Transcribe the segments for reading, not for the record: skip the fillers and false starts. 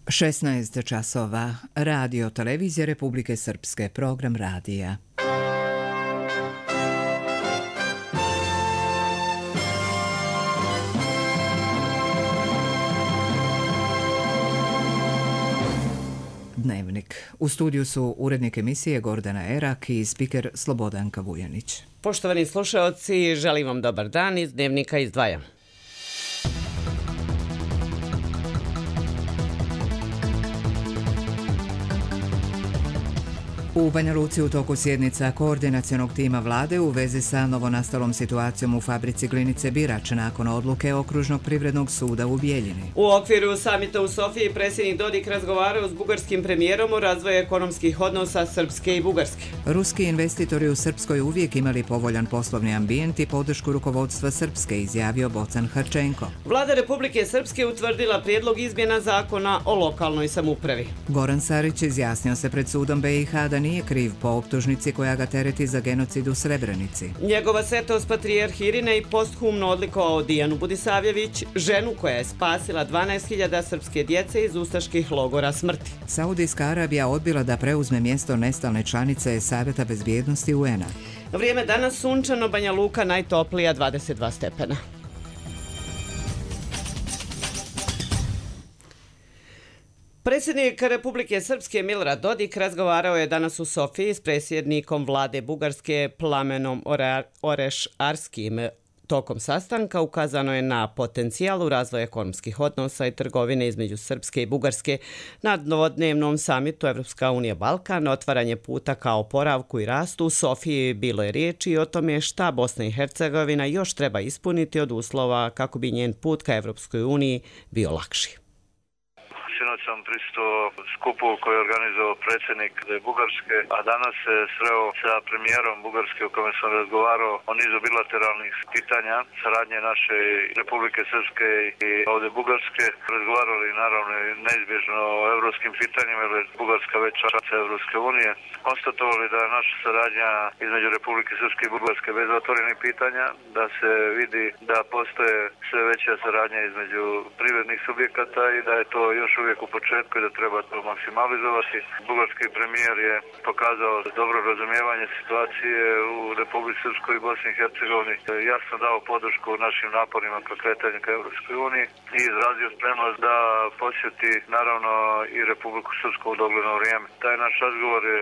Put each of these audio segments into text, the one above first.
16 časova. Radio Televizija Republike Srpske. Program radija. Dnevnik. U studiju su urednik emisije Gordana Erak i spiker Slobodanka Vujanić. Poštovani slušaoci, želim vam dobar dan. Iz Dnevnika izdvajam. U Banja Luci u toku sjednica koordinacionog tima vlade u vezi sa novonastalom situacijom u fabrici glinice Birač nakon odluke Okružnog privrednog suda u Bijeljini. U okviru samita u Sofiji predsjednik Dodik razgovarao s bugarskim premijerom o razvoju ekonomskih odnosa Srpske i Bugarske. Ruski investitori u Srpskoj uvijek imali povoljan poslovni ambijent i podršku rukovodstva Srpske, izjavio Bocan Harčenko. Vlada Republike Srpske utvrdila prijedlog izmjena zakona o lokalnoj samoupravi. Goran Sarić izjasnio se pred sudom BiH da nije kriv po optužnici koja ga tereti za genocid u Srebrenici. Njegova svetost patrijarh Irine i posthumno odlikovao Dijanu Budisavljević, ženu koja je spasila 12.000 srpske djece iz ustaških logora smrti. Saudijska Arabija odbila da preuzme mjesto nestalne članice Savjeta bezbjednosti UN-a. Vrijeme danas sunčano, Banja Luka najtoplija 22 stepena. Predsjednik Republike Srpske Milorad Dodik razgovarao je danas u Sofiji s predsjednikom vlade Bugarske Plamenom Oreš-Arskim. Tokom sastanka ukazano je na potencijal u razvoju ekonomskih odnosa i trgovine između Srpske i Bugarske na dvodnevnom samitu Evropska unija Balkan, otvaranje puta ka oporavku i rastu. U Sofiji bilo je riječi i o tome šta Bosna i Hercegovina još treba ispuniti od uslova kako bi njen put ka Evropskoj uniji bio lakši. Sinoć sam prisutovao skupu koji je organizovao predsjednik Bugarske, a danas se sreo sa premijerom Bugarske u kome sam razgovarao o nizu bilateralnih pitanja, saradnje naše Republike Srpske i ovdje Bugarske. Razgovarali naravno neizbježno o evropskim pitanjima, jer je Bugarska već članica Evropske unije. Konstatovali da je naša saradnja između Republike Srpske i Bugarske bez otvorenih pitanja, da se vidi da postoje sve veća saradnja između privrednih subjekata i da je to još uvijek u početku i da treba to maksimalizovati. Bugarski premijer je pokazao dobro razumijevanje situacije u Republici Srpskoj i Bosni i Hercegovini. Jasno dao podršku našim naporima ka kretanju ka Evropskoj uniji i izrazio spremnost da posjeti naravno i Republiku Srpsku u dogledno vrijeme. Taj naš razgovor je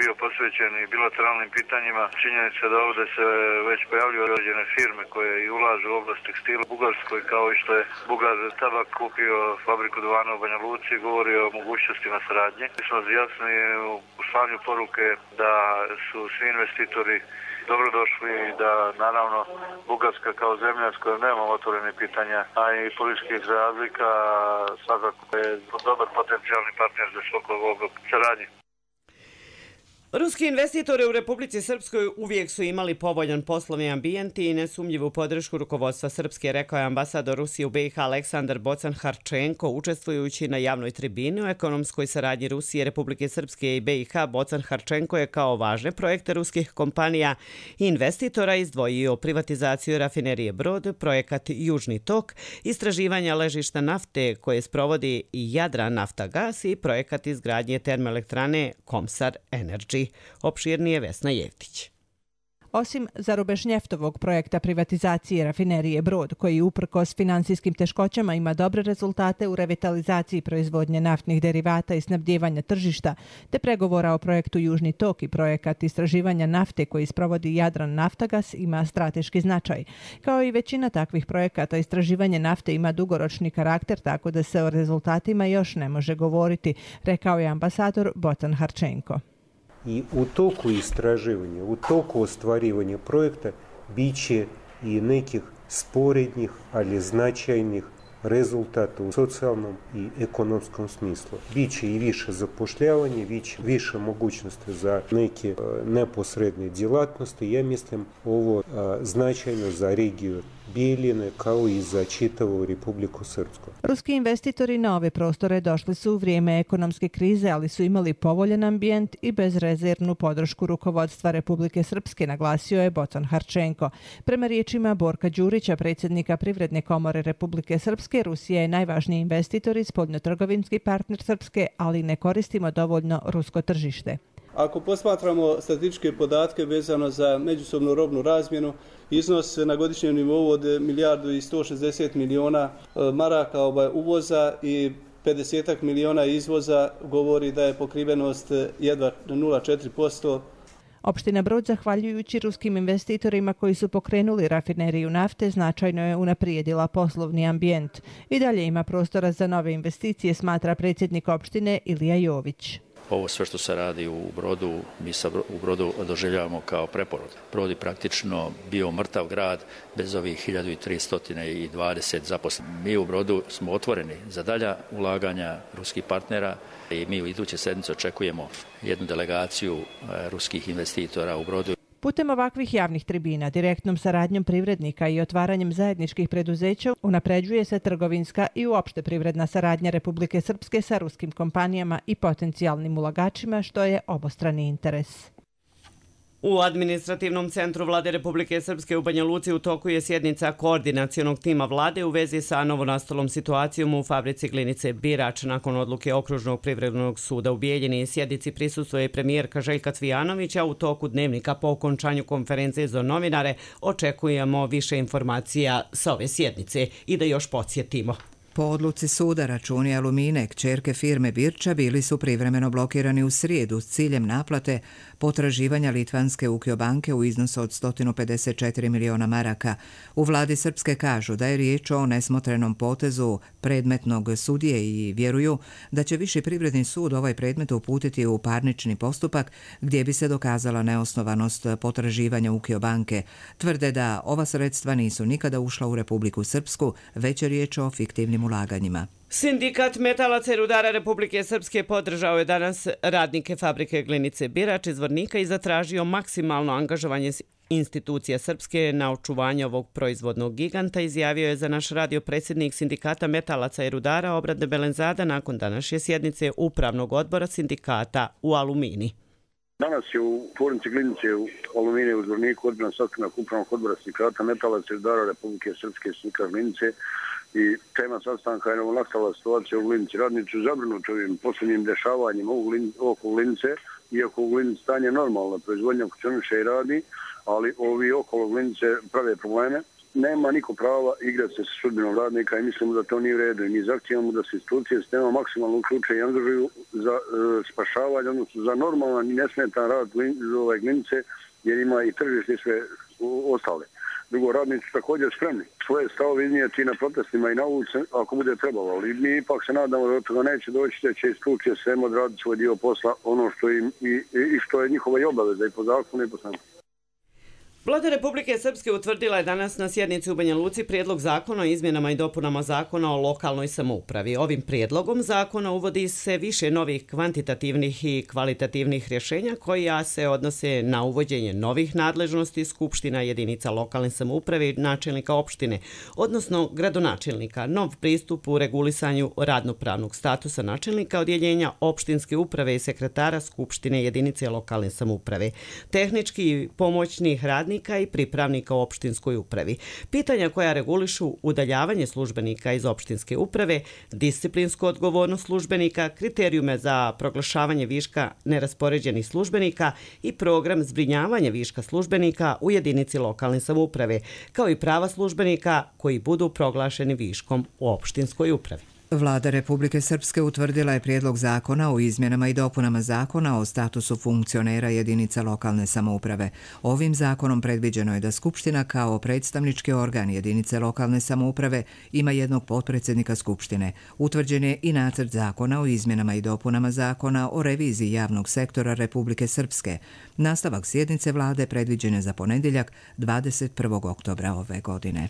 bio posvećen i bilateralnim pitanjima. Činjenica da ovdje se već pojavljuju određene firme koje i ulažu u oblast tekstila u Bugarskoj, kao i što je Bugar Tabak kupio fabriku duvana u Banja Luci, govori o mogućnostima saradnje. Mi smo jasni u slanju poruke da su svi investitori dobrodošli i da naravno Bugarska kao zemlja s kojom nemamo otvorene pitanja, a i političkih razlika, svakako je dobar potencijalni partner za svakog ovog saradnje. Ruski investitori u Republici Srpskoj uvijek su imali povoljan poslovni ambijent i nesumnjivu podršku rukovodstva Srpske, rekao je ambasador Rusije u BiH Aleksandar Bocan Harčenko, učestvujući na javnoj tribini o ekonomskoj saradnji Rusije, Republike Srpske i BiH. Bocan Harčenko je kao važne projekte ruskih kompanija i investitora izdvojio privatizaciju rafinerije Brod, projekat Južni tok, istraživanja ležišta nafte koje sprovodi Jadran Naftagas i projekat izgradnje termoelektrane Komsar Energy. Opširnije Vesna Jevtić. Osim Zarubežnjeftovog projekta privatizacije rafinerije Brod, koji uprkos finansijskim teškoćama ima dobre rezultate u revitalizaciji proizvodnje naftnih derivata i snabdijevanja tržišta, te pregovora o projektu Južni tok i projekat istraživanja nafte koji sprovodi Jadran Naftagas ima strateški značaj. Kao i većina takvih projekata, istraživanje nafte ima dugoročni karakter, tako da se o rezultatima još ne može govoriti, rekao je ambasador Bocan Harčenko. I u toku istraživanja, u toku ostvarivanja projekta biće i nekih sporednih, ali značajnih rezultata u socijalnom i ekonomskom smislu. Biće i više zapošljavanja, više mogućnosti za neke neposredne djelatnosti. Ja mislim ovo značajno za regiju Bijeljine kao i za čitavu Republiku Srpsku. Ruski investitori na ove prostore došli su u vrijeme ekonomske krize, ali su imali povoljan ambijent i bezrezervnu podršku rukovodstva Republike Srpske, naglasio je Bocan Harčenko. Prema riječima Borka Đurića, predsjednika Privredne komore Republike Srpske, Rusija je najvažniji investitor i spoljnotrgovinski partner Srpske, ali ne koristimo dovoljno rusko tržište. Ako posmatramo statističke podatke vezano za međusobnu robnu razmjenu, iznos na godišnjem nivou od 1.160 miliona maraka uvoza i 50 miliona izvoza govori da je pokrivenost jedva 0,4%. Opština Brod, zahvaljujući ruskim investitorima koji su pokrenuli rafineriju nafte, značajno je unaprijedila poslovni ambijent. I dalje ima prostora za nove investicije, smatra predsjednik opštine Ilija Jović. Ovo sve što se radi u Brodu, mi u Brodu doživljavamo kao preporod. Brod je praktično bio mrtav grad bez ovih 1320 zaposlenih. Mi u Brodu smo otvoreni za dalja ulaganja ruskih partnera i mi u iduće sedmice očekujemo jednu delegaciju ruskih investitora u Brodu. Putem ovakvih javnih tribina, direktnom saradnjom privrednika i otvaranjem zajedničkih preduzeća unapređuje se trgovinska i uopšte privredna saradnja Republike Srpske sa ruskim kompanijama i potencijalnim ulagačima, što je obostrani interes. U administrativnom centru Vlade Republike Srpske u Banja Luci u toku je sjednica koordinacionog tima vlade u vezi sa novonastalom situacijom u fabrici glinice Birač. Nakon odluke Okružnog privrednog suda u Bijeljini sjednici prisustvuje premijerka Željka Cvijanović, a u toku dnevnika po okončanju konferencije za novinare očekujemo više informacija sa ove sjednice. I da još podsjetimo. Po odluci suda računi Alumine, kćerke firme Birča, bili su privremeno blokirani u srijedu s ciljem naplate potraživanja litvanske Ukio banke u iznosu od 154 miliona maraka. U vladi Srpske kažu da je riječ o nesmotrenom potezu predmetnog sudije i vjeruju da će Viši privredni sud ovaj predmet uputiti u parnični postupak gdje bi se dokazala neosnovanost potraživanja Ukio banke. Tvrde da ova sredstva nisu nikada ušla u Republiku Srpsku, već je riječ o fiktivnim ulaganjima. Sindikat metalaca i rudara Republike Srpske podržao je danas radnike fabrike glinice Birač iz Zvornika i zatražio maksimalno angažovanje institucija Srpske na očuvanje ovog proizvodnog giganta, izjavio je za naš radio predsjednik Sindikata metalaca i rudara Obrade Belenzada nakon današnje sjednice Upravnog odbora sindikata u Alumini. Danas je u tvornici glinice u Alumini u Zvorniku održan sastanak Upravnog odbora Sindikata metalaca i rudara Republike Srpske sindikat glinice. I tema sastanka je novonastala situacija u glinici. Radnici su zabrinuti ovim posljednjim dešavanjem oko glinice, iako u glinici stanje normalno, proizvodnja funkcioniše i radi, ali ovi okolo glinice prave probleme. Nema niko prava igrati se sa sudbinom radnika i mislimo da to nije u redu. I mi zahtijevamo da se institucije s tema maksimalno uključe i angažuju za spašavanje, odnosno za normalan i nesmetan rad glinice, jer ima i tržište i sve ostale. Drugo, radnici su također spremni svoje stavove iznijeti na protestima i na ulici ako bude trebalo, ali mi ipak se nadamo da od toga neće doći, da će institucije svema odraditi svoj dio posla, ono što im i što je njihova i obaveza i po zakonu i po svemu. Vlada Republike Srpske utvrdila je danas na sjednici u Banja Luci prijedlog zakona o izmjenama i dopunama zakona o lokalnoj samoupravi. Ovim prijedlogom zakona uvodi se više novih kvantitativnih i kvalitativnih rješenja koja se odnose na uvođenje novih nadležnosti skupština jedinica lokalne samouprave i načelnika opštine, odnosno gradonačelnika, nov pristup u regulisanju radnopravnog statusa načelnika odjeljenja opštinske uprave i sekretara skupštine jedinice lokalne samouprave, tehnički i pomoćnih radnika i pripravnika u opštinskoj upravi. Pitanja koja regulišu udaljavanje službenika iz opštinske uprave, disciplinsku odgovornost službenika, kriterijume za proglašavanje viška neraspoređenih službenika i program zbrinjavanja viška službenika u jedinici lokalne samouprave, kao i prava službenika koji budu proglašeni viškom u opštinskoj upravi. Vlada Republike Srpske utvrdila je prijedlog zakona o izmjenama i dopunama zakona o statusu funkcionera jedinica lokalne samouprave. Ovim zakonom predviđeno je da Skupština kao predstavnički organ jedinice lokalne samouprave ima jednog potpredsjednika Skupštine. Utvrđen je i nacrt zakona o izmjenama i dopunama zakona o reviziji javnog sektora Republike Srpske. Nastavak sjednice vlade predviđen je za ponedjeljak 21. oktobra ove godine.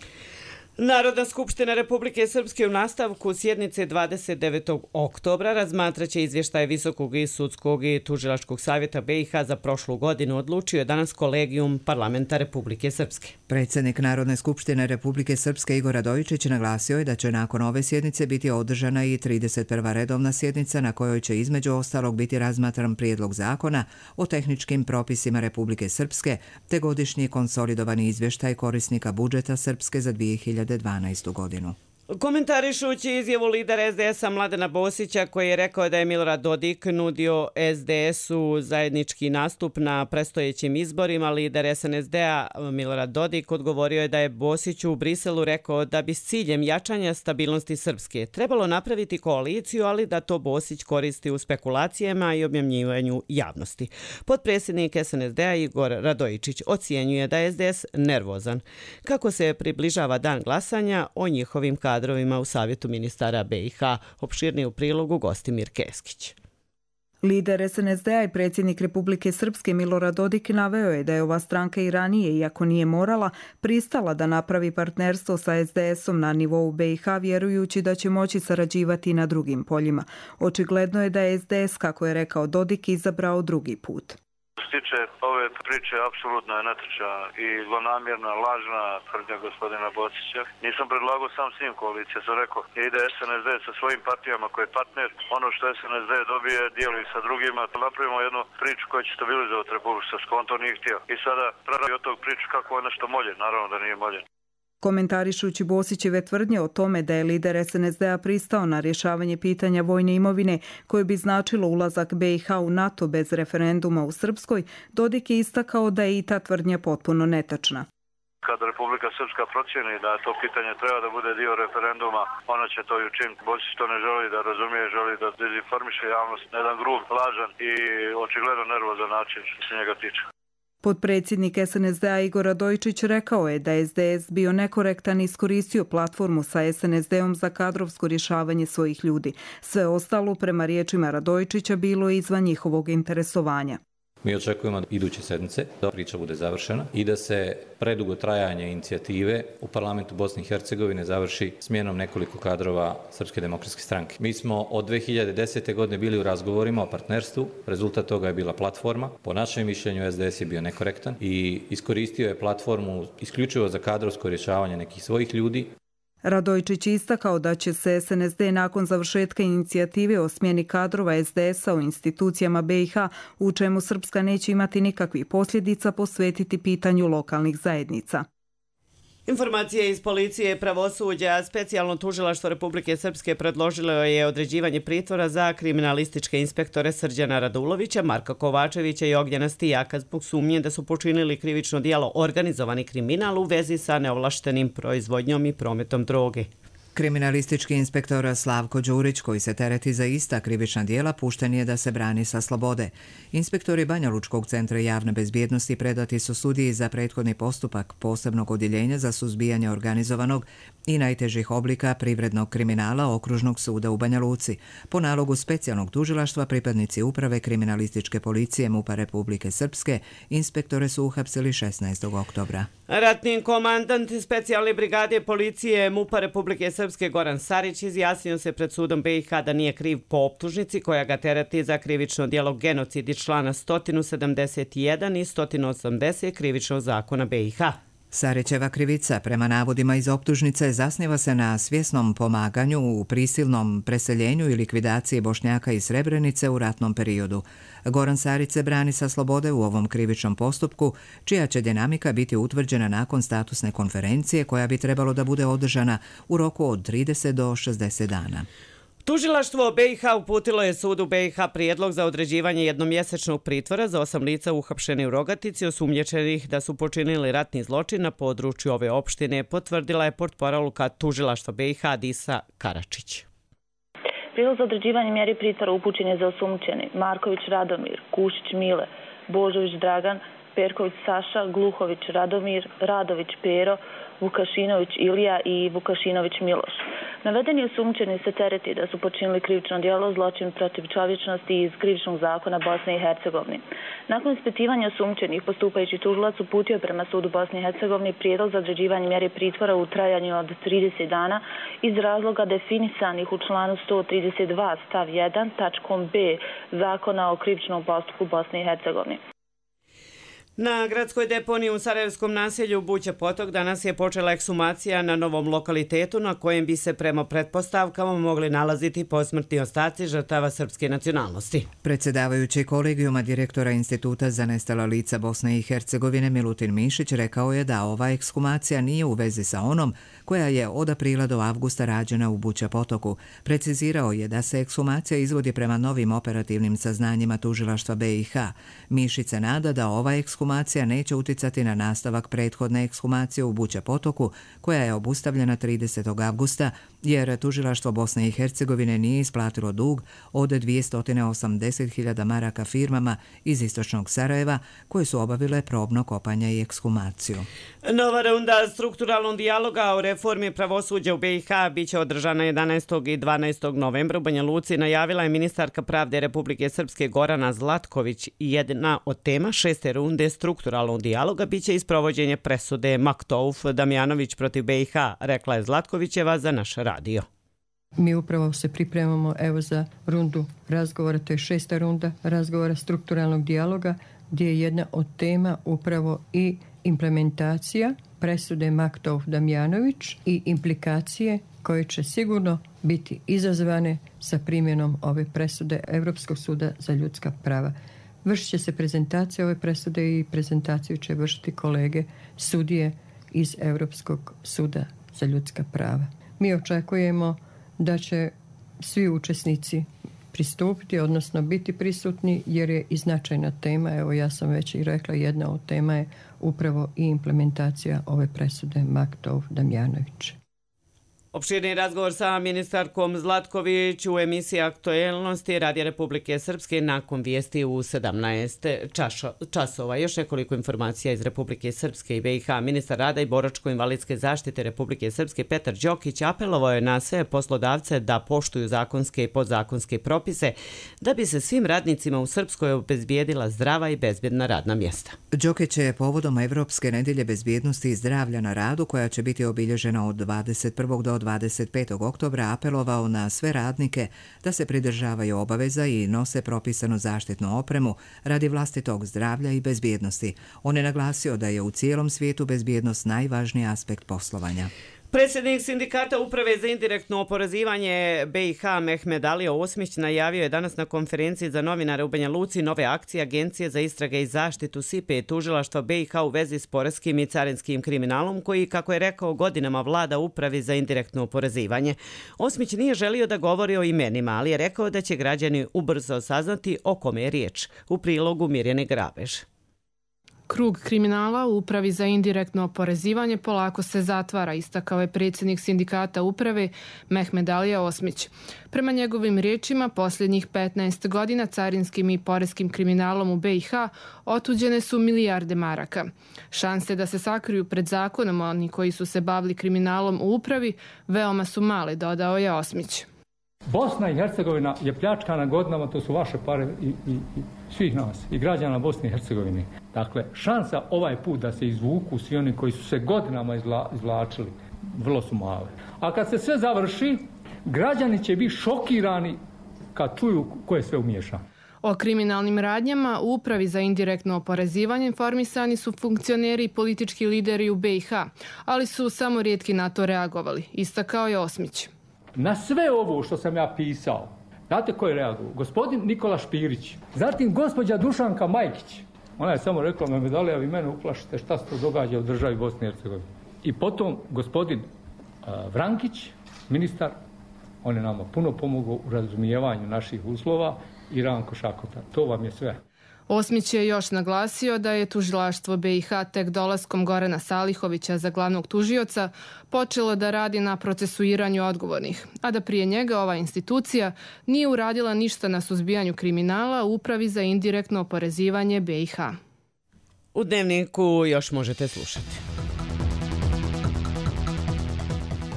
Narodna skupština Republike Srpske u nastavku sjednice 29. oktobra razmatraće izvještaje Visokog i sudskog i tužilačkog savjeta BiH za prošlu godinu, odlučio je danas kolegijum Parlamenta Republike Srpske. Predsjednik Narodne skupštine Republike Srpske Igor Radojičić naglasio je da će nakon ove sjednice biti održana i 31. redovna sjednica na kojoj će između ostalog biti razmatran prijedlog zakona o tehničkim propisima Republike Srpske te godišnji konsolidovani izvještaj korisnika budžeta Srpske za 2012. godinu. Komentarišući izjavu lidera SDS-a Mladena Bosića koji je rekao da je Milorad Dodik nudio SDS-u zajednički nastup na predstojećim izborima, lider SNSD-a Milorad Dodik odgovorio je da je Bosić u Briselu rekao da bi s ciljem jačanja stabilnosti Srpske trebalo napraviti koaliciju, ali da to Bosić koristi u spekulacijama i objavljivanju javnosti. Potpredsjednik SNSD-a Igor Radojičić ocjenjuje da je SDS nervozan kako se približava dan glasanja o njihovim kadrovima u Savjetu ministara BiH. Opširnije u prilogu Gostimir Keskić. Lider SNSD-a i predsjednik Republike Srpske Milorad Dodik naveo je da je ova stranka i ranije, iako nije morala, pristala da napravi partnerstvo sa SDS-om na nivou BiH, vjerujući da će moći sarađivati na drugim poljima. Očigledno je da je SDS, kako je rekao Dodik, izabrao drugi put. Što se tiče ove priče, apsolutno je netačna i zlonamjerna, lažna tvrdnja gospodina Bosića. Nisam predlagao sam s njim koalicije, sam rekao, ide SNSD sa svojim partijama koji je partner, ono što SNSD dobije dijeli sa drugima, napravimo jednu priču koja će stabilizovati Republiku Srpsku, on to nije htio. I sada pravi od tog priču kako je nešto molje, naravno da nije molje. Komentarišući Bosićeve tvrdnje o tome da je lider SNSD-a pristao na rješavanje pitanja vojne imovine koje bi značilo ulazak BiH u NATO bez referenduma u Srpskoj, Dodik je istakao da je i ta tvrdnja potpuno netačna. Kada Republika Srpska procjeni da to pitanje treba da bude dio referenduma, ona će to i učiniti. Bosić to ne želi da razumije, želi da dezinformiše javnost na jedan grub, lažan i očigledno nervozan način što se njega tiče. Potpredsjednik SNSD-a Igor Radojičić rekao je da je SDS bio nekorektan i iskoristio platformu sa SNSD-om za kadrovsko rješavanje svojih ljudi. Sve ostalo, prema riječima Radojičića, bilo je izvan njihovog interesovanja. Mi očekujemo iduće sedmice da priča bude završena i da se predugo trajanje inicijative u parlamentu Bosne i Hercegovine završi smjenom nekoliko kadrova Srpske demokratske stranke. Mi smo od 2010. godine bili u razgovorima o partnerstvu, rezultat toga je bila platforma. Po našem mišljenju SDS je bio nekorektan i iskoristio je platformu isključivo za kadrovsko rješavanje nekih svojih ljudi. Radojičić istakao da će se SNSD nakon završetka inicijative o smjeni kadrova SDS-a u institucijama BiH, u čemu Srpska neće imati nikakvih posljedica, posvetiti pitanju lokalnih zajednica. Informacije iz policije pravosuđa, specijalno tužilaštvo Republike Srpske predložilo je određivanje pritvora za kriminalističke inspektore Srđana Radulovića, Marka Kovačevića i Ognjena Stijaka zbog sumnje da su počinili krivično djelo organizovani kriminal u vezi sa neovlaštenim proizvodnjom i prometom droge. Kriminalistički inspektor Slavko Đurić, koji se tereti za ista krivična djela, pušten je da se brani sa slobode. Inspektori Banja Lučkog centra javne bezbjednosti predati su sudiji za prethodni postupak posebnog odjeljenja za suzbijanje organizovanog i najtežih oblika privrednog kriminala Okružnog suda u Banja Luci. Po nalogu specijalnog tužilaštva pripadnici uprave kriminalističke policije MUP-a Republike Srpske inspektore su uhapsili 16. oktobra. Ratni komandant specijalne brigade policije MUP-a Republike Srpske Goran Sarić izjasnio se pred sudom BiH da nije kriv po optužnici koja ga tereti za krivično djelo genocid iz člana 171 i 180 krivičnog zakona BiH. Sarićeva krivica, prema navodima iz optužnice, zasniva se na svjesnom pomaganju u prisilnom preseljenju i likvidaciji Bošnjaka iz Srebrenice u ratnom periodu. Goran Sarić se brani sa slobode u ovom krivičnom postupku, čija će dinamika biti utvrđena nakon statusne konferencije koja bi trebalo da bude održana u roku od 30 do 60 dana. Tužilaštvo BiH uputilo je sudu BiH prijedlog za određivanje jednomjesečnog pritvora za 8 lica uhapšeni u Rogatici osumnjičenih da su počinili ratni zločin na području ove opštine, potvrdila je portparolka Tužilaštva BiH Disa Karačić. Prijedlog za određivanje mjeri pritvora upućen je za osumnjičeni Marković Radomir, Kušić Mile, Božović Dragan, Perković Saša, Gluhović Radomir, Radović Pero, Vukašinović Ilija i Vukašinović Miloš. Navedeni osumnjičeni se tereti da su počinili krivično djelo zločin protiv čovječnosti iz krivičnog zakona Bosne i Hercegovine. Nakon ispitivanja osumnjičenih, postupajući tužilac uputio prema sudu Bosne i Hercegovine prijedlog za određivanje mjere pritvora u trajanju od 30 dana iz razloga definisanih u članu 132 stav 1 tačkom B Zakona o krivičnom postupku Bosne i Hercegovine. Na gradskoj deponiji u Sarajevskom naselju Buća Potok danas je počela ekshumacija na novom lokalitetu na kojem bi se prema pretpostavkama mogli nalaziti posmrtni ostaci žrtava srpske nacionalnosti. Predsjedavajući kolegijuma direktora Instituta za nestala lica Bosne i Hercegovine Milutin Mišić rekao je da ova ekshumacija nije u vezi sa onom koja je od aprila do avgusta rađena u Buća Potoku. Precizirao je da se ekshumacija izvodi prema novim operativnim saznanjima tužilaštva BiH. Mišić se nada da ova ekshumacija neće uticati na nastavak prethodne ekshumacije u Buća Potoku, koja je obustavljena 30. avgusta, jer tužilaštvo Bosne i Hercegovine nije isplatilo dug od 280.000 maraka firmama iz istočnog Sarajeva, koje su obavile probno kopanje i ekshumaciju. Nova runda strukturalnog dijaloga o reformi pravosuđa u BiH biće održana 11. i 12. novembra u Banja Luci, najavila je ministarka pravde Republike Srpske Gorana Zlatković. Jedna od tema 6. runde strukturalnog dijaloga biće isprovođenje presude Maktouf Damjanović protiv BiH, rekla je Zlatkovićeva za naš radio. Mi upravo se pripremamo za rundu razgovora, to je 6. runda razgovora strukturalnog dijaloga, gdje je jedna od tema upravo i implementacija presude Maktouf Damjanović i implikacije koje će sigurno biti izazvane sa primjenom ove presude Europskog suda za ljudska prava. Vršit će se prezentacija ove presude i prezentaciju će vršiti kolege sudije iz Europskog suda za ljudska prava. Mi očekujemo da će svi učesnici pristupiti, odnosno biti prisutni, jer je i značajna tema. Evo, ja sam već i rekla, jedna od tema je upravo i implementacija ove presude Maktouf Damjanović. Opširni razgovor sa ministarkom Zlatković u emisiji Aktuelnosti Radija Republike Srpske nakon vijesti u 17 časova. Još nekoliko informacija iz Republike Srpske i BiH. Ministar rada i boračko-invalidske zaštite Republike Srpske Petar Đokić apelovao je na sve poslodavce da poštuju zakonske i podzakonske propise da bi se svim radnicima u Srpskoj obezbijedila zdrava i bezbjedna radna mjesta. Đokić je povodom Evropske nedelje bezbjednosti i zdravlja na radu, koja će biti obilježena od 21. do 25. oktobra, apelovao na sve radnike da se pridržavaju obaveza i nose propisanu zaštitnu opremu radi vlastitog zdravlja i bezbjednosti. On je naglasio da je u cijelom svijetu bezbjednost najvažniji aspekt poslovanja. Predsjednik sindikata Uprave za indirektno oporezivanje BiH Mehmed Alija Osmić najavio je danas na konferenciji za novinare u Banja Luci nove akcije Agencije za istrage i zaštitu SIPE i tužilaštva BiH u vezi s poreskim i carinskim kriminalom koji, kako je rekao, godinama vlada Upravi za indirektno oporezivanje. Osmić nije želio da govori o imenima, ali je rekao da će građani ubrzo saznati o kome je riječ. U prilogu Mirjane Grabež. Krug kriminala u Upravi za indirektno oporezivanje polako se zatvara, istakao je predsjednik sindikata Uprave Mehmed Alija Osmić. Prema njegovim riječima, posljednjih 15 godina carinskim i poreskim kriminalom u BiH otuđene su milijarde maraka. Šanse da se sakriju pred zakonom oni koji su se bavili kriminalom u Upravi veoma su male, dodao je Osmić. Bosna i Hercegovina je pljačkana godinama, to su vaše pare i svih nas, i građana Bosne i Hercegovine. Dakle, šansa ovaj put da se izvuku svi oni koji su se godinama izvlačili, vrlo su male. A kad se sve završi, građani će biti šokirani kad čuju ko je sve umiješan. O kriminalnim radnjama u Upravi za indirektno oporezivanje informisani su funkcioneri i politički lideri u BiH, ali su samo rijetki na to reagovali, istakao je Osmić. Na sve ovo što sam ja pisao, znate ko je reagovao? Gospodin Nikola Špirić, zatim gospođa Dušanka Majkić. Ona je samo rekla, Mehmed Alija, vi mene uplašite šta se to događa u državi Bosne i Hercegovine. I potom gospodin Vrankić, ministar, on je nama puno pomogao u razumijevanju naših uslova, i Ranko Šakota. To vam je sve. Osmić je još naglasio da je tužilaštvo BiH tek dolaskom Gorana Salihovića za glavnog tužioca počelo da radi na procesuiranju odgovornih, a da prije njega ova institucija nije uradila ništa na suzbijanju kriminala u Upravi za indirektno oporezivanje BiH. U Dnevniku još možete slušati.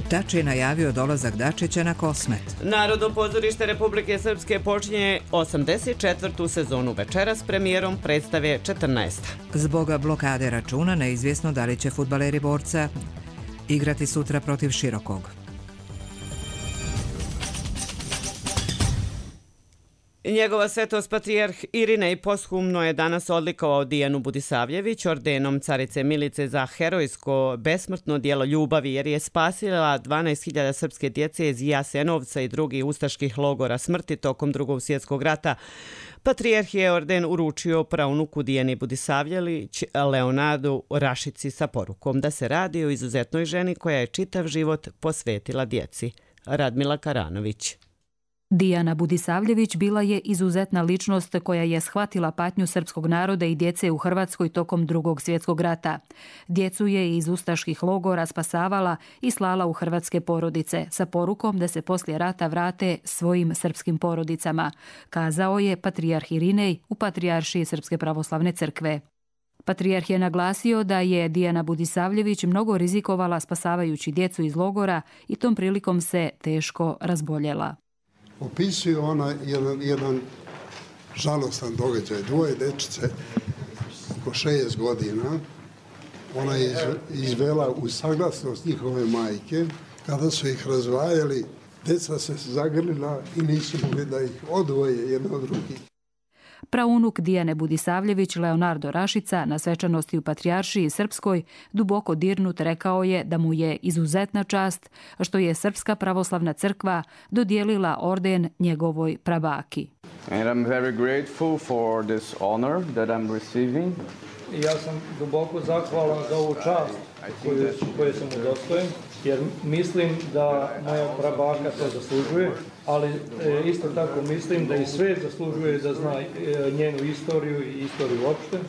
Tači je najavio dolazak Dačića na Kosmet. Narodno pozorište Republike Srpske počinje 84. sezonu večera s premijerom predstave 14. Zbog blokade računa neizvjesno da li će fudbaleri Borca igrati sutra protiv Širokog. Njegova svetost patrijarh Irinej posthumno je danas odlikovao Dijanu Budisavljević ordenom carice Milice za herojsko besmrtno djelo ljubavi jer je spasila 12.000 srpske djece iz Jasenovca i drugih ustaških logora smrti tokom Drugog svjetskog rata. Patrijarh je orden uručio praunuku Dijani Budisavljević Leonardu Rašici sa porukom da se radi o izuzetnoj ženi koja je čitav život posvetila djeci. Radmila Karanović. Dijana Budisavljević bila je izuzetna ličnost koja je shvatila patnju srpskog naroda i djece u Hrvatskoj tokom Drugog svjetskog rata. Djecu je iz ustaških logora spasavala i slala u hrvatske porodice sa porukom da se poslije rata vrate svojim srpskim porodicama, kazao je patrijarh Irinej u Patrijaršiji Srpske pravoslavne crkve. Patrijarh je naglasio da je Dijana Budisavljević mnogo rizikovala spasavajući djecu iz logora i tom prilikom se teško razboljela. Opisuje ona jedan žalostan događaj. Dvoje dečice, oko 6 godina, ona je izvela u saglasnost njihove majke. Kada su ih razvajali, deca se zagrlila i nisu mogli da ih odvoje jedno od drugih. Praunuk Dijane Budisavljević Leonardo Rašica na svečanosti u Patrijaršiji Srpskoj duboko dirnut rekao je da mu je izuzetna čast što je Srpska pravoslavna crkva dodijelila orden njegovoj prabaki. And I'm very grateful for this honor that I'm receiving. Ja sam duboko zahvalan za ovu čast koju sam udostojen, jer mislim da moja prabaka to zaslužuje, ali isto tako mislim da i svijet zaslužuje da zna njenu istoriju i istoriju uopšte.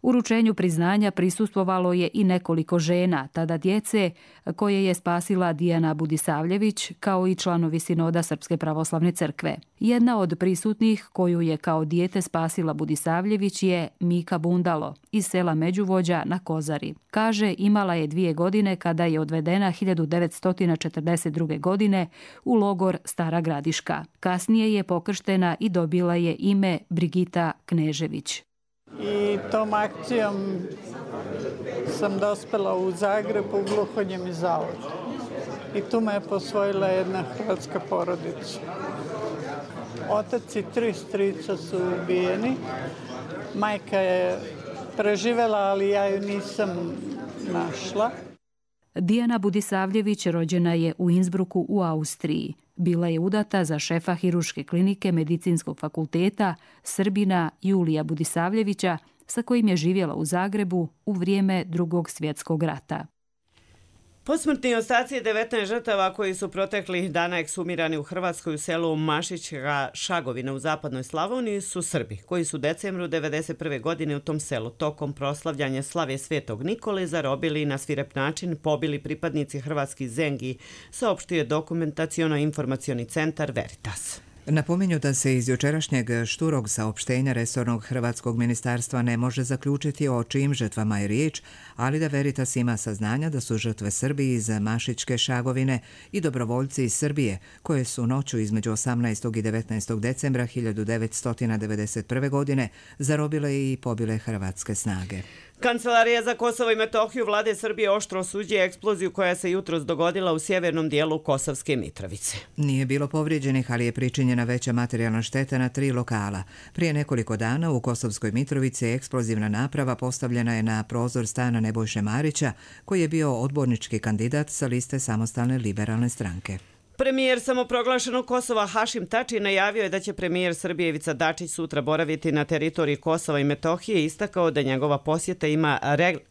Uručenju priznanja prisustvovalo je i nekoliko žena, tada djece, koje je spasila Dijana Budisavljević, kao i članovi sinoda Srpske pravoslavne crkve. Jedna od prisutnih koju je kao dijete spasila Budisavljević je Mika Bundalo iz sela Međuvođa na Kozari. Kaže, imala je 2 godine kada je odvedena 1942. godine u logor Stara Gradiška. Kasnije je pokrštena i dobila je ime Brigita Knežević. I tom akcijom sam dospela u Zagreb u Gluhonjemi zavod. I tu me je posvojila jedna hrvatska porodica. Otac i 3 strica su ubijeni. Majka je preživela, ali ja ju nisam našla. Dijana Budisavljević rođena je u Innsbrucku u Austriji. Bila je udata za šefa Hirurške klinike Medicinskog fakulteta Srbina Julija Budisavljevića, sa kojim je živjela u Zagrebu u vrijeme Drugog svjetskog rata. Posmrtni ostaci 19 žrtava koji su proteklih dana eksumirani u Hrvatskoj u selu Mašićka Šagovina u zapadnoj Slavoniji su Srbi, koji su u decembru 1991. godine u tom selu tokom proslavljanja slave Svetog Nikole zarobili i na svirep način pobili pripadnici hrvatskih zengi, saopštio je dokumentaciono-informacioni centar Veritas. Napominju da se iz jučerašnjeg šturog saopštenja resornog hrvatskog ministarstva ne može zaključiti o čijim žrtvama je riječ, ali da Veritas ima saznanja da su žrtve Srbi iz Mašićke Šagovine i dobrovoljci iz Srbije, koje su noću između 18. i 19. decembra 1991. godine zarobile i pobile hrvatske snage. Kancelarija za Kosovo i Metohiju vlade Srbije oštro osuđuje eksploziju koja se jutros dogodila u sjevernom dijelu Kosovske Mitrovice. Nije bilo povrijeđenih, ali je pričinjena veća materijalna šteta na 3 lokala. Prije nekoliko dana u Kosovskoj Mitrovici eksplozivna naprava postavljena je na prozor stana Nebojše Marića, koji je bio odbornički kandidat sa liste Samostalne liberalne stranke. Premijer samoproglašenog Kosova Hašim Tači najavio je da će premijer Srbije Ivica Dačić sutra boraviti na teritoriji Kosova i Metohije i istakao da njegova posjeta ima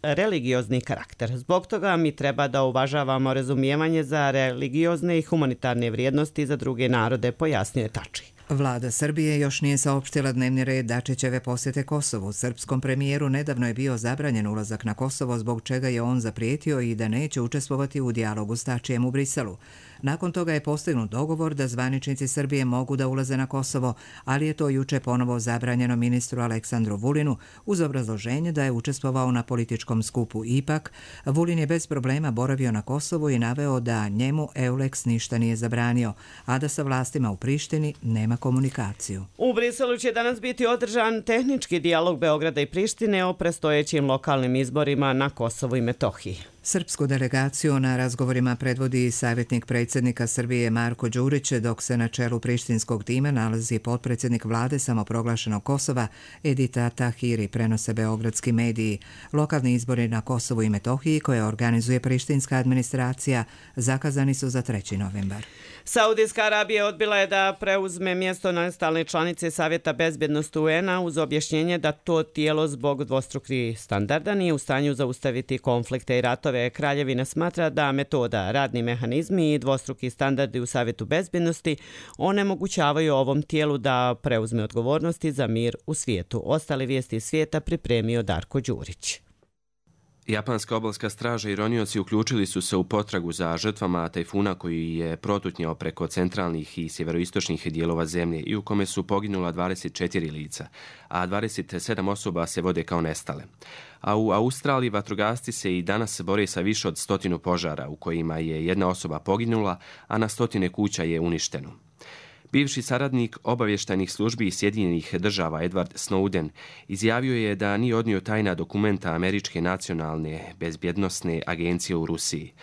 religiozni karakter. Zbog toga mi treba da uvažavamo razumijevanje za religiozne i humanitarne vrijednosti za druge narode, pojasnio je Tači. Vlada Srbije još nije saopštila dnevni red Dačićeve posjete Kosovu. Srpskom premijeru nedavno je bio zabranjen ulazak na Kosovo, zbog čega je on zaprijetio i da neće učestvovati u dijalogu s Tačijem u Briselu. Nakon toga je postignut dogovor da zvaničnici Srbije mogu da ulaze na Kosovo, ali je to juče ponovo zabranjeno ministru Aleksandru Vulinu uz obrazloženje da je učestvovao na političkom skupu. Ipak, Vulin je bez problema boravio na Kosovu i naveo da njemu EULEX ništa nije zabranio, a da sa vlastima u Prištini nema komunikaciju. U Briselu će danas biti održan tehnički dijalog Beograda i Prištine o predstojećim lokalnim izborima na Kosovu i Metohiji. Srpsku delegaciju na razgovorima predvodi savjetnik predsjednika Srbije Marko Đurić, dok se na čelu prištinskog tima nalazi potpredsjednik vlade samoproglašenog Kosova Edita Tahiri, prenose beogradski mediji. Lokalni izbori na Kosovu i Metohiji koje organizuje prištinska administracija zakazani su za 3. novembar. Saudijska Arabija odbila je da preuzme mjesto nestalne članice Savjeta bezbjednosti UN-a uz objašnjenje da to tijelo zbog dvostrukih standarda nije u stanju zaustaviti konflikte i ratove. Kraljevina smatra da metoda, radni mehanizmi i dvostruki standardi u Savjetu bezbjednosti onemogućavaju ovom tijelu da preuzme odgovornosti za mir u svijetu. Ostale vijesti iz svijeta pripremio Darko Đurić. Japanska obalska straža i ronioci uključili su se u potragu za žrtvama tajfuna koji je protutnjao preko centralnih i sjeveroistočnih dijelova zemlje i u kome su poginula 24 lica, a 27 osoba se vode kao nestale. A u Australiji vatrogasci se i danas bore sa više od 100 požara u kojima je jedna osoba poginula, a na 100 kuća je uništeno. Bivši saradnik obavještajnih službi Sjedinjenih država Edward Snowden izjavio je da nije odnio tajna dokumenta Američke nacionalne bezbjednosne agencije u Rusiji.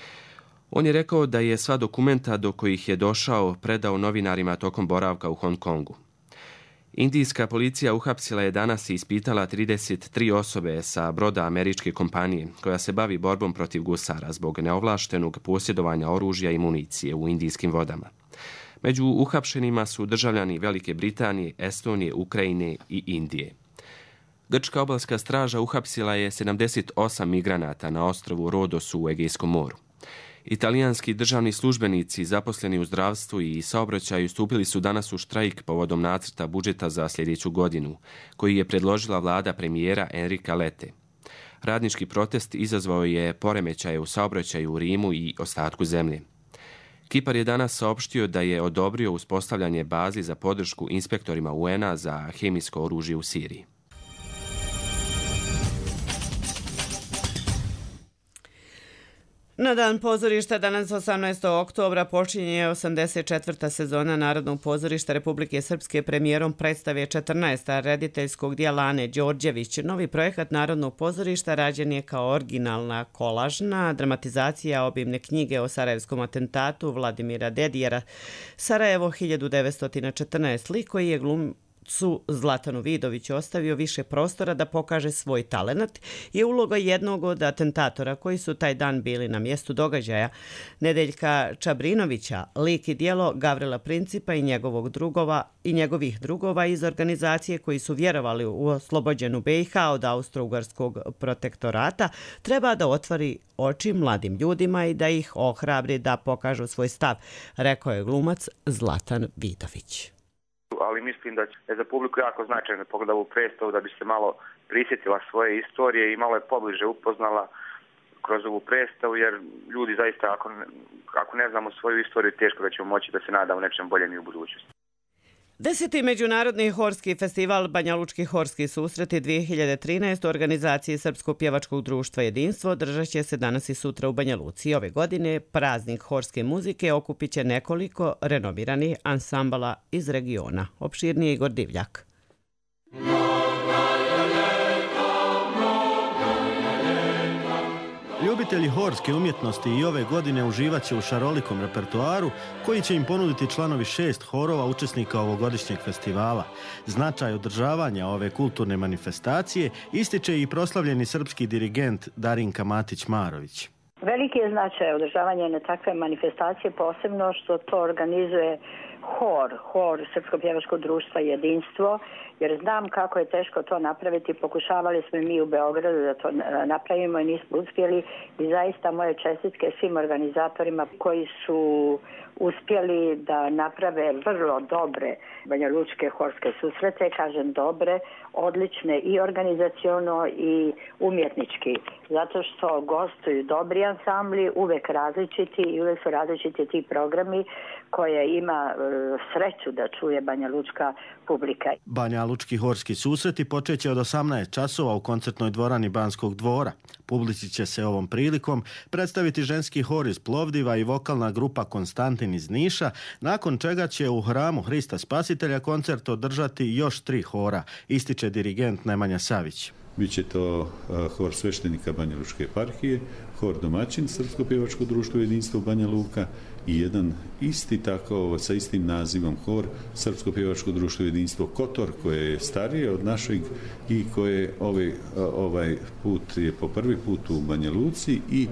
On je rekao da je sva dokumenta do kojih je došao predao novinarima tokom boravka u Hong Kongu. Indijska policija uhapsila je danas i ispitala 33 osobe sa broda američke kompanije koja se bavi borbom protiv gusara zbog neovlaštenog posjedovanja oružja i municije u indijskim vodama. Među uhapšenima su državljani Velike Britanije, Estonije, Ukrajine i Indije. Grčka obalska straža uhapsila je 78 migranata na ostrvu Rodosu u Egejskom moru. Italijanski državni službenici zaposleni u zdravstvu i saobraćaju stupili su danas u štrajk povodom nacrta budžeta za sljedeću godinu, koji je predložila vlada premijera Enrika Lete. Radnički protest izazvao je poremećaje u saobraćaju u Rimu i ostatku zemlje. Kipar je danas saopštio da je odobrio uspostavljanje bazi za podršku inspektorima UN-a za hemijsko oružje u Siriji. Na dan pozorišta danas 18. oktobra počinje 84. sezona Narodnog pozorišta Republike Srpske premijerom predstave 14. rediteljskog dijela Ane Đorđević. Novi projekat Narodnog pozorišta rađen je kao originalna kolažna dramatizacija obimne knjige o sarajevskom atentatu Vladimira Dedijera Sarajevo 1914. Lik koji je Zlatanu Vidoviću ostavio više prostora da pokaže svoj talenat je uloga jednog od atentatora koji su taj dan bili na mjestu događaja, Nedeljka Čabrinovića, lik i djelo Gavrila Principa i njegovih drugova iz organizacije koji su vjerovali u oslobođenu BiH od Austro-Ugarskog protektorata, treba da otvori oči mladim ljudima i da ih ohrabri da pokažu svoj stav, rekao je glumac Zlatan Vidović. Ali mislim da je za publiku jako značajno pogleda ovu predstavu da bi se malo prisjetila svoje istorije i malo je pobliže upoznala kroz ovu predstavu, jer ljudi zaista ako ne znamo svoju istoriju, teško da ćemo moći da se nadamo nečem boljem i u budućnosti. 10. Međunarodni horski festival Banjalučki horski susreti 2013 u organizaciji Srpskog pjevačkog društva Jedinstvo održat će se danas i sutra u Banja Luci. Ove godine praznik horske muzike okupit će nekoliko renomiranih ansambala iz regiona. Opširnije Igor Divljak. Ljubitelji horske umjetnosti i ove godine uživat će u šarolikom repertoaru koji će im ponuditi članovi 6 horova učesnika ovogodišnjeg festivala. Značaj održavanja ove kulturne manifestacije ističe i proslavljeni srpski dirigent Darinka Matić-Marović. Veliki je značaj održavanja jedne takve manifestacije, posebno što to organizuje hor Srpskog pjevačkog društva Jedinstvo, jer znam kako je teško to napraviti. Pokušavali smo mi u Beogradu da to napravimo i nismo uspjeli i zaista moje čestitke svim organizatorima koji su uspjeli da naprave vrlo dobre banjalučke horske susrete, kažem dobre, odlične i organizaciono i umjetnički, zato što gostuju dobri ansambli, uvek različiti i uvek su različiti ti programi koje ima sreću da čuje banjalučka publika. Banjalučki horski susreti počeće od 18 časova u koncertnoj dvorani Banskog dvora. Publici će se ovom prilikom predstaviti ženski hor iz Plovdiva i vokalna grupa Konstantin iz Niša, nakon čega će u hramu Hrista Spasitelja koncert održati još 3 hora, ističe dirigent Nemanja Savić. Biće to hor sveštenika Banjalučke eparhije, hor domaćin Srpsko pjevačko društvo Jedinstvo Banja Luka i jedan isti tako sa istim nazivom hor Srpsko pjevačko društvo Jedinstvo Kotor, koje je starije od našeg i koje ovaj put je po prvi put u Banja Luci i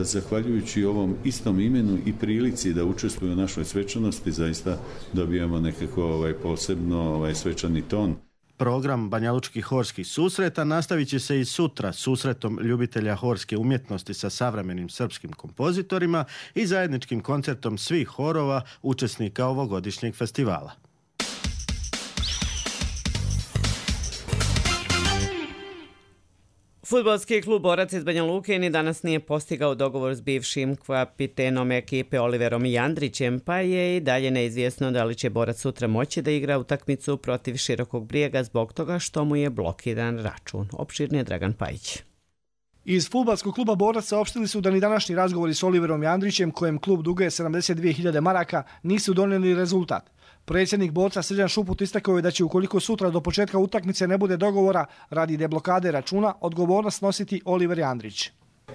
zahvaljujući ovom istom imenu i prilici da učestvuju u našoj svečanosti zaista dobijamo nekako posebno svečani ton. Program banjalučkih horskih susreta nastavit će se i sutra susretom ljubitelja horske umjetnosti sa savremenim srpskim kompozitorima i zajedničkim koncertom svih horova učesnika ovogodišnjeg festivala. Fudbalski klub Borac iz Banja Luke ni danas nije postigao dogovor s bivšim kapitenom ekipe Oliverom Jandrićem, pa je i dalje neizvjesno da li će Borac sutra moći da igra utakmicu protiv Širokog Brijega zbog toga što mu je blokiran račun. Opširnije Dragan Pajić. Iz fudbalskog kluba Borac saopštili su da ni današnji razgovori s Oliverom Jandrićem, kojem klub duguje 72.000 maraka, nisu donijeli rezultat. Predsjednik Borca Srđan Šuput istakao je da će ukoliko sutra do početka utakmice ne bude dogovora radi deblokade računa, odgovornost nositi Oliver Jandrić.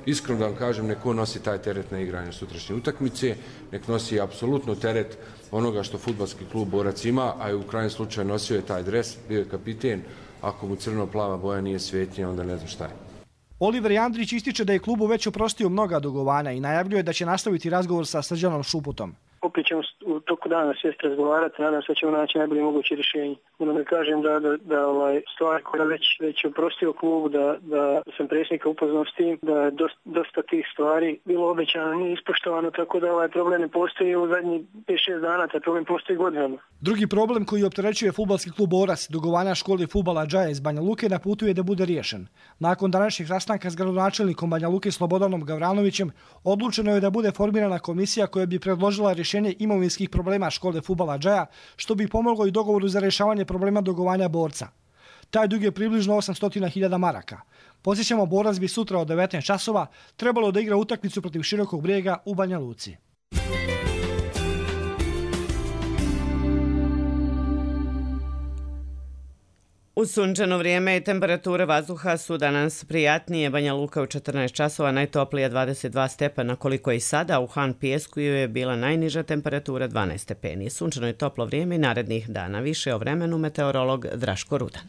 Iskreno da vam kažem, nek on nosi taj teret na igranje sutrašnje utakmice, nek nosi apsolutno teret onoga što fudbalski klub Borac ima, a i u krajnjem slučaju nosio je taj dres, bio je kapiten, ako mu crno-plava boja nije svetnija, onda ne znam šta je. Oliver Jandrić ističe da je klubu već oprostio mnoga dugovanja i najavljuje da će nastaviti razgovor sa Srđanom Šuputom. Opet ćemo u toku dana sjesti razgovarati, nadam se da ćemo naći najbolje moguće rješenje. Moram da kažem da stvar koja već oprostio klub, da sam predsjednika upoznao s tim, da je dosta tih stvari bilo obećano, nije ispoštovano, tako da ovaj problem ne postoji u zadnjih 5-6 dana, taj problem postoji godinama. Drugi problem koji opterećuje fudbalski klub Borac, dugovanja školi fudbala Džaja iz Banja Luke, na putu je da bude riješen. Nakon današnjeg sastanka s gradonačelnikom Banja Luke Slobodanom Gavranovićem, odlučeno je da bude formirana komisija koja bi predložila rješenje imovinskih problema škole fudbala Džaja, što bi pomoglo i dogovoru za rješavanje problema dugovanja Borca. Taj dug je približno 800.000 maraka. Podsjećamo, Borac bi sutra od 19 časova trebalo da igra utakmicu protiv Širokog Brijega u Banja Luci. U sunčano vrijeme i temperature vazduha su danas prijatnije. Banja Luka u 14 časova, najtoplija 22 stepena, koliko i sada. U Han Pijesku je bila najniža temperatura 12 stepeni. Sunčano i toplo vrijeme i narednih dana. Više o vremenu meteorolog Draško Rudan.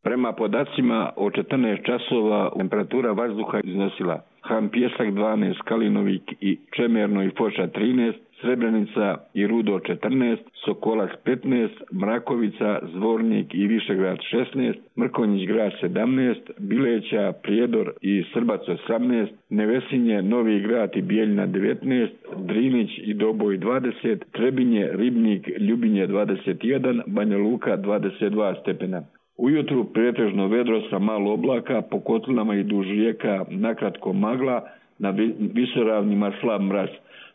Prema podacima o 14 časova temperatura vazduha iznosila Han Pijesak 12, Kalinovik i Čemerno i Foča 13, Srebrenica i Rudo 14, Sokolac 15, Mrakovica, Zvornik i Višegrad 16, Mrkonjić grad 17, Bileća, Prijedor i Srbac 18, Nevesinje, Novi grad i Bijeljina 19, Drinić i Doboj 20, Trebinje, Ribnik, Ljubinje 21, Banja Luka 22 stepena. Ujutru pretežno vedro sa malo oblaka, po kotlinama i duž rijeka nakratko magla, na visoravnima slab mraz.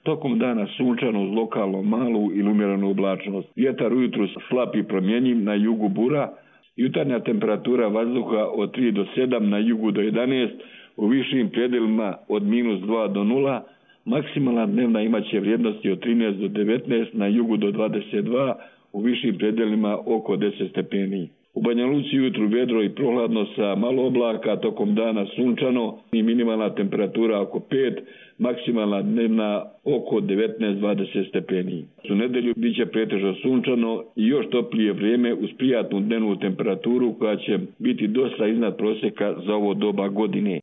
Tokom dana sunčano uz lokalno malu ili umjerenu oblačnost. Vjetar ujutru slab i promjenjiv, na jugu bura. Jutarnja temperatura vazduha od 3 do 7, na jugu do 11, u višim predjelima od -2 do 0. Maksimalna dnevna imaće vrijednosti od 13 do 19, na jugu do 22, u višim predjelima oko 10 stepeni. U Banja Luci jutru vedro i prohladno sa malo oblaka, tokom dana sunčano i minimalna temperatura oko 5, maksimalna dnevna oko 19-20 stepeni. U nedelju bit će pretežno sunčano i još toplije vrijeme uz prijatnu dnevnu temperaturu koja će biti dosta iznad prosjeka za ovo doba godine.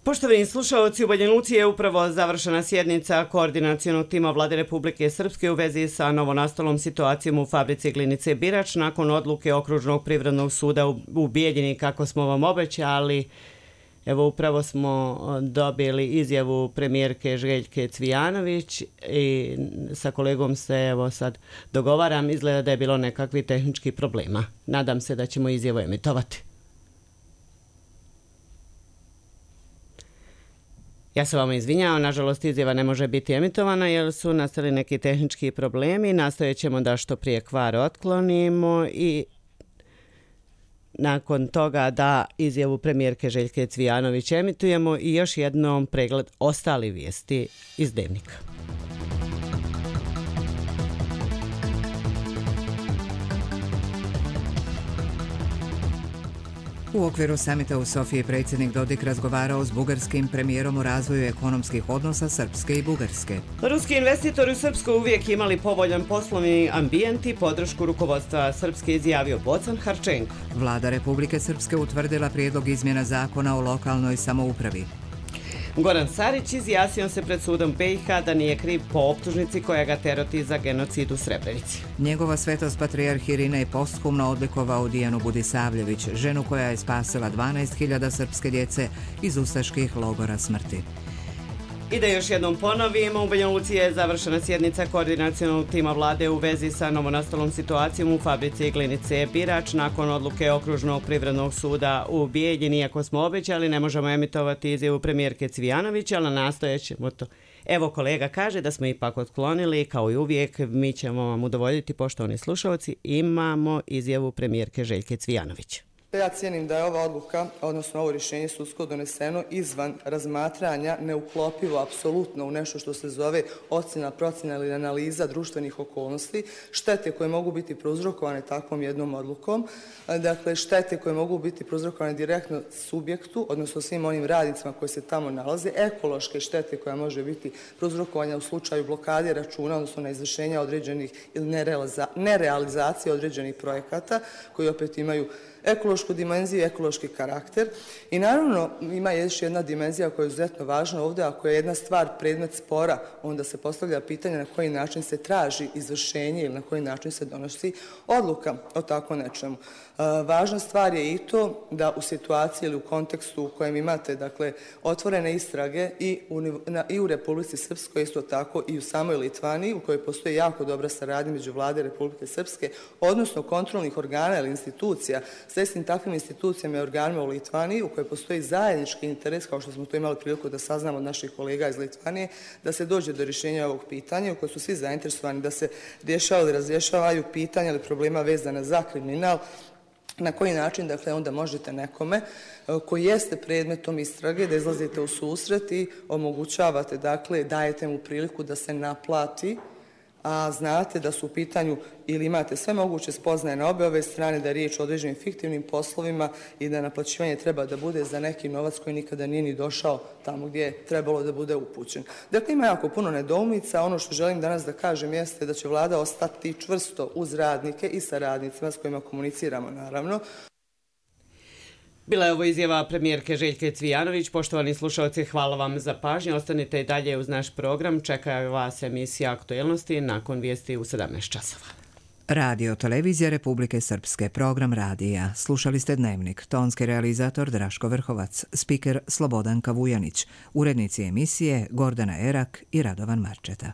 Poštovani slušalci, u Banja Luci je upravo završena sjednica koordinacionog tima Vlade Republike Srpske u vezi sa novonastalom situacijom u fabrici glinice Birač nakon odluke Okružnog privrednog suda u Bijeljini, kako smo vam obećali. Evo, upravo smo dobili izjavu premijerke Željke Cvijanović i sa kolegom se evo sad dogovaram. Izgleda da je bilo nekakvih tehničkih problema. Nadam se da ćemo izjavu emitovati. Ja se vama izvinjavam, nažalost izjava ne može biti emitovana jer su nastali neki tehnički problemi. Nastojat ćemo da što prije kvar otklonimo i nakon toga da izjavu premijerke Željke Cvijanović emitujemo i još jednom pregled ostali vijesti iz Dnevnika. U okviru samita u Sofiji predsjednik Dodik razgovarao s bugarskim premijerom o razvoju ekonomskih odnosa Srpske i Bugarske. Ruski investitori u Srpskoj uvijek imali povoljan poslovni ambijent i podršku rukovodstva Srpske, izjavio Bocan Harčenko. Vlada Republike Srpske utvrdila prijedlog izmjena zakona o lokalnoj samoupravi. Goran Sarić izjasnio se pred sudom BiH da nije kriv po optužnici koja ga teroti za genocid u Srebrenici. Njegova svetost patrijarh Irina je posthumno odlikovao Dijanu Budisavljević, ženu koja je spasila 12.000 srpske djece iz ustaških logora smrti. I da još jednom ponovimo, u Banja Luci je završena sjednica koordinacionog tima vlade u vezi sa novonastalom situacijom u fabrici glinice Birač nakon odluke Okružnog privrednog suda u Bijeljini. Iako smo obećali, ne možemo emitovati izjavu premijerke Cvijanovića, ali nastojat ćemo to. Evo, kolega kaže da smo ipak otklonili, kao i uvijek, mi ćemo vam udovoljiti, poštovani slušalci, imamo izjavu premijerke Željke Cvijanovića. Ja cijenim da je ova odluka, odnosno ovo rješenje sudsko doneseno izvan razmatranja, neuklopivo apsolutno u nešto što se zove ocjena, procjena ili analiza društvenih okolnosti, štete koje mogu biti prouzrokovane takvom jednom odlukom, dakle štete koje mogu biti prouzrokovane direktno subjektu, odnosno svim onim radnicima koji se tamo nalaze, ekološke štete koja može biti prouzrokovanja u slučaju blokade računa, odnosno neizvršenja određenih ili nerealizacije određenih projekata koji opet imaju ekološku dimenziju i ekološki karakter. I naravno ima još jedna dimenzija koja je izuzetno važna ovdje, ako je jedna stvar predmet spora, onda se postavlja pitanje na koji način se traži izvršenje ili na koji način se donosi odluka o tako nečemu. Važna stvar je i to da u situaciji ili u kontekstu u kojem imate dakle, otvorene istrage i u Republici Srpskoj, isto tako i u samoj Litvaniji, u kojoj postoji jako dobra saradnja među Vlade Republike Srpske, odnosno kontrolnih organa ili institucija s istim takvim institucijama i organima u Litvaniji, u kojoj postoji zajednički interes, kao što smo to imali priliku da saznamo od naših kolega iz Litvanije, da se dođe do rješenja ovog pitanja, u kojoj su svi zainteresovani da se rješava ili razrješavaju pitanja ili problema vezana za kriminal. Na koji način, dakle, onda možete nekome koji jeste predmetom istrage da izlazite u susret i omogućavate, dakle, dajete mu priliku da se naplati, a znate da su u pitanju ili imate sve moguće spoznaje na ove strane da je riječ o određenim fiktivnim poslovima i da naplaćivanje treba da bude za neki novac koji nikada nije ni došao tamo gdje je trebalo da bude upućen. Dakle, ima jako puno nedoumica. Ono što želim danas da kažem jeste da će vlada ostati čvrsto uz radnike i sa radnicima s kojima komuniciramo, naravno. Bila je ovo izjava premijerke Željke Cvijanović. Poštovani slušalci, hvala vam za pažnju. Ostanite i dalje uz naš program. Čeka vas emisija Aktuelnosti nakon vijesti u 17 časova. Radio Televizija Republike Srpske, program radija. Slušali ste Dnevnik, tonski realizator Draško Vrhovac, spiker Slobodanka Vujanić, urednici emisije Gordana Erak i Radovan Marčeta.